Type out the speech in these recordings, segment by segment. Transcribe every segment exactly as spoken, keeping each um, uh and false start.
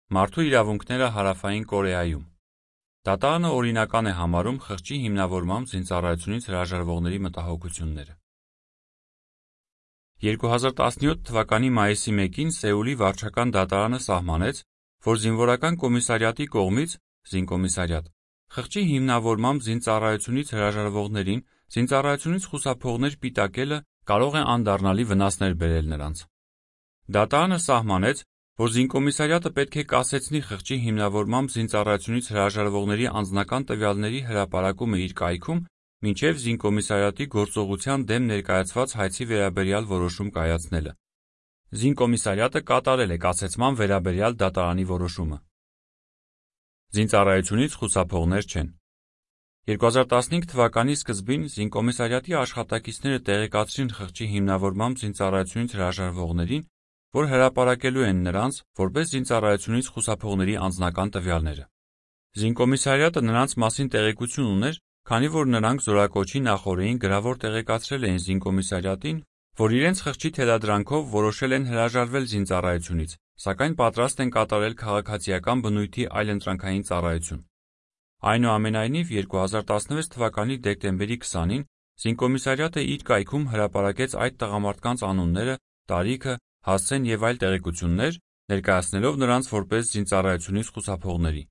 Մարդու իրավունքները Հարավային Կորեայում։ Դատարանը օրինական է համարում խղճի հիմնավորմամբ զինծառայությունից հրաժարվողների մտահոգությունները։ երկու հազար տասնյոթ թվականի մայիսի մեկին Սեուլի վարչական դատարանը սահմանեց, որ զինվորական կոմիսարիատի կողմից զինկոմիսարիատ խղճի հիմնավորմամբ զինծառայությունից հրաժարվողներին զինծառայությունից խուսափողներ պիտակելը կարող է անդառնալի վնասներ բերել նրանց։ Դատարանը սահմանեց, որ զինկոմիսարիատը պետք է կասեցնի խղճի հիմնավորմամբ զինծառայությունից հրաժարվողների անձնական տվյալների հրապարակումը իր կայքում, մինչև զինկոմիսարիատի գործողության դեմ ներկայացված հայցի վերաբերյալ որոշում կայացնելը։ Զինկոմիսարիատը կատարել է կասեցման վերաբերյալ դատարանի որոշումը։ Զինծառայությունից խուսափողներ չեն։ երկու հազար տասնհինգ թվականի սկզբին զինկոմիսարիատի աշխատակիցները տեղեկացրին խղճի հիմնավորմամբ զինծառայությունից հրաժարվողներին, որ հրապարակելու են նրանց որպես զինծառայությունից խուսափողների անձնական տվյալները։ Զինկոմիսարիատը նրանց մասին տեղեկություն ուներ, քանի որ նրանք զորակոչի նախօրեին գրավոր տեղեկացրել էին զինկոմիսարիատին, որ իրենց խղճի թելադրանքով որոշել են հրաժարվել զինծառայությունից, սակայն պատրաստ են կատարել քաղաքացիական բնույթի այլընտրանքային ծառայություն։ Այնուամենայնիվ, երկու հազար տասնվեց թվականի դեկտեմբերի քսանին զինկոմիսարիատը իր կայքում հրապարակեց այդ տղամարդկանց անունները, տարիքը, հասցեն և այլ տեղեկություններ, ներկայացնելով նրանց որպես զինծառայությունից խուսափողների։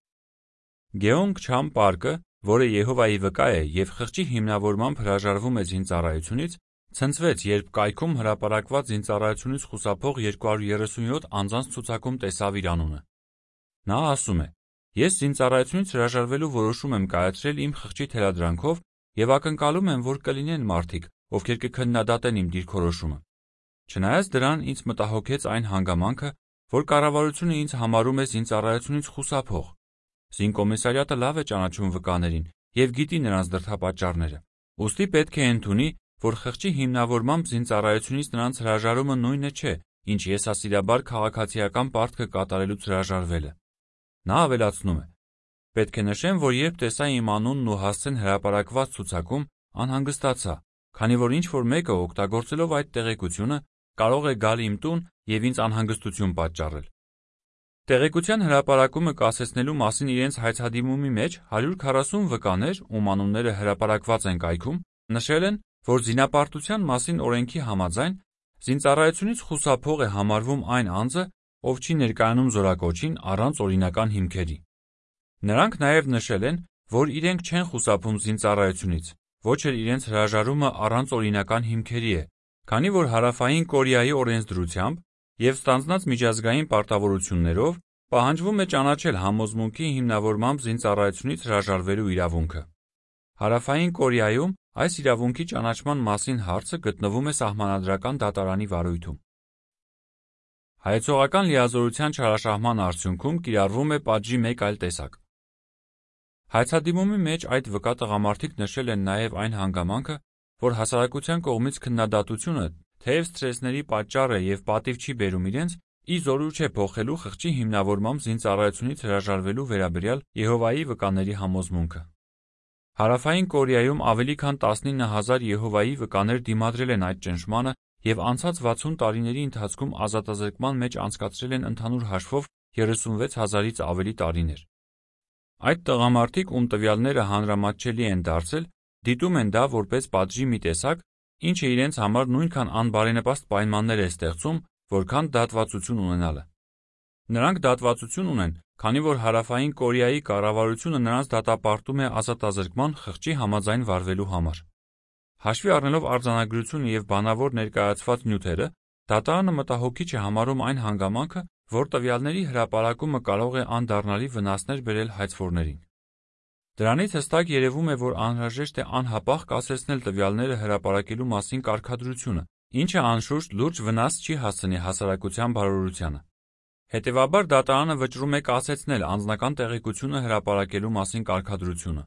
Գեոնգ Չամ Պարկը, որը Եհովայի վկա է և խղճի հիմնավորմամբ հրաժարվում է զինծառայությունից, ցնցվեց, երբ կայքում հրապարակված զինծառայությունից խուսափող երկու հարյուր երեսունյոթ անձանց ցուցակում տեսավ իր անունը։ Նա ասում է. «Ես զինծառայությունից հրաժարվելու որոշում եմ կայացրել իմ խղճի թելադրանքով և ակնկալում եմ, որ կլինեն մարդիկ, ովքեր կքննադատեն իմ դիրքորոշումը։ Չնայած դրան, ինձ մտահոգեց այն հանգամանքը, որ կառավարությունը ինձ համարում է զինծառայությունից խուսափող։ Զինկոմիսարիատը լավ է ճանաչում վկաներին և գիտի նրանց դրդապատճառները, ուստի պետք է ընդունի, որ խղճի հիմնավորմամբ զինծառայությունից նրանց հրաժարումը նույնը չէ, ինչ եսասիրաբար քաղաքացիական պարտքը կատարելուց հրաժարվելը»։ Նա ավելացնում է. «Պետք է նշեմ, որ երբ տեսա իմ անունն ու հասցեն հրապարակված ցուցակում, անհանգստացա, քանի որ ինչ-որ մեկը, օգտագործելով այդ տեղեկությունը, կարող է գալ իմ տուն և ինձ անհանգստություն պատճառել»։ Տեղեկության հրապարակումը կասեցնելու մասին իրենց հայցադիմումի մեջ հարյուր քառասուն վկաներ, ում անունները հրապարակված են կայքում, նշել են, որ զինապարտության մասին օրենքի համաձայն զինծառայությունից խուսափող է համարվում այն անձը, ով չի ներկայանում զորակոչին առանց օրինական հիմքերի։ Նրանք նաև նշել են, որ իրենք չեն խուսափում զինծառայությունից, ոչ էլ իրենց հրաժարումը առանց օրինական հիմքերի է, քանի որ Հարավային Կորեայի օրենսդրությամբ և ստանձնած միջազգային պարտավորություններով պահանջվում է ճանաչել համոզմունքի հիմնավորմամբ զինծառայությունից հրաժարվելու իրավունքը։ Հարավային Կորեայում այս իրավունքի ճանաչման մասին հարցը գտնվում է սահմանադրական դատարանի վարույթում։ Հայեցողական լիազորության չարաշահման արդյունքում կիրառվում է պատժի մեկ այլ տեսակ։ Հայցադիմումի մեջ այդ վկա տղամարդիկ նշել են նաև այն հանգամանքը, որ հասարակության կողմից քննադատությունը, թեև սթրեսների պատճառ է և պատիվ չի բերում իրենց, ի զորու չէ փոխելու խղճի հիմնավորմամբ զինծառայությունից հրաժարվելու վերաբերյալ Եհովայի վկաների համոզմունքը։ Հարավային Կորեայում ավելի քան տասնինը հազար Եհովայի վկաներ դիմադրել են այդ ճնշմանը և անցած վաթսուն տարիների ընթացքում ազատազրկման մեջ անցկացրել են ընդհանուր հաշվով երեսունվեց հազարից ավելի տարիներ։ Այդ տղամարդիկ, ում տվյալները հանրամատչելի են դարձել, դիտում են դա որպես պատժի մի տեսակ, ինչը իրենց համար նույնքան անբարենպաստ պայմաններ է ստեղծում, որքան դատվածություն ունենալը։ Նրանք դատվածություն ունեն, քանի որ Հարավային Կորեայի կառավարությունը նրանց դատապարտում է ազատազրկման խղճի համաձայն վարվելու համար։ Հաշվի առնելով արձանագրությունը և բանավոր ներկայացված նյութերը, դատարանը մտահոգիչ է համարում այն հանգամանքը, որ տվյալների հրապարակումը կարող է անդառնալի վնասներ բերել հայցվորներին։ Դրանից հստակ երևում է, որ անհրաժեշտ է անհապաղ կասեցնել տվյալները հրապարակելու մասին կարգադրությունը, ինչը անշուշտ լուրջ վնաս չի հասցնի հասարակության բարօրությանը։ Հետևաբար դատարանը վճռում է կասեցնել անձնական տեղեկությունը հրապարակելու մասին կարգադրությունը։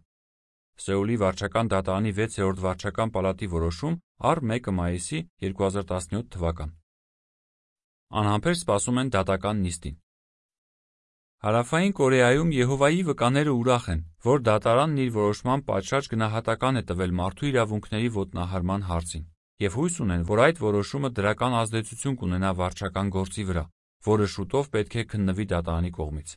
Սեուլի վարչական դատարանի վեցերորդ վարչական պալատի որոշում առ մեկը մայիսի երկու հազար տասնյոթ թվական։ Անհամբեր սպասում են դատական նիստին։ Հարավային Կորեայում Եհովայի վկաները ուրախ են, որ դատարանն իր որոշմամբ պատշաճ գնահատական է տվել մարդու իրավունքների ոտնահարման հարցին, և հույս ունեն, որ այդ որոշումը դրական ազդեցություն կունենա վարչական գործի վրա, որը շուտով պետք է քննվի դատարանի կողմից։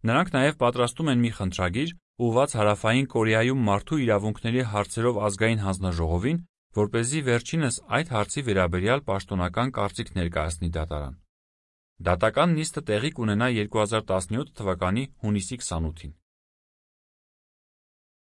Նրանք նաև պատրաստում են մի խնդրագիր, ուղղված Հարավային Կորեայում մարդու իրավունքների հարցերով ազգային հանձնաժողովին, որպեսզի վերջինս այդ հարցի վերաբերյալ պաշտոնական կարծիք ներկայացնի դատարան։ Դատական նիստը տեղի կունենա երկու հազար տասնյոթ թվականի հունիսի քսանութին։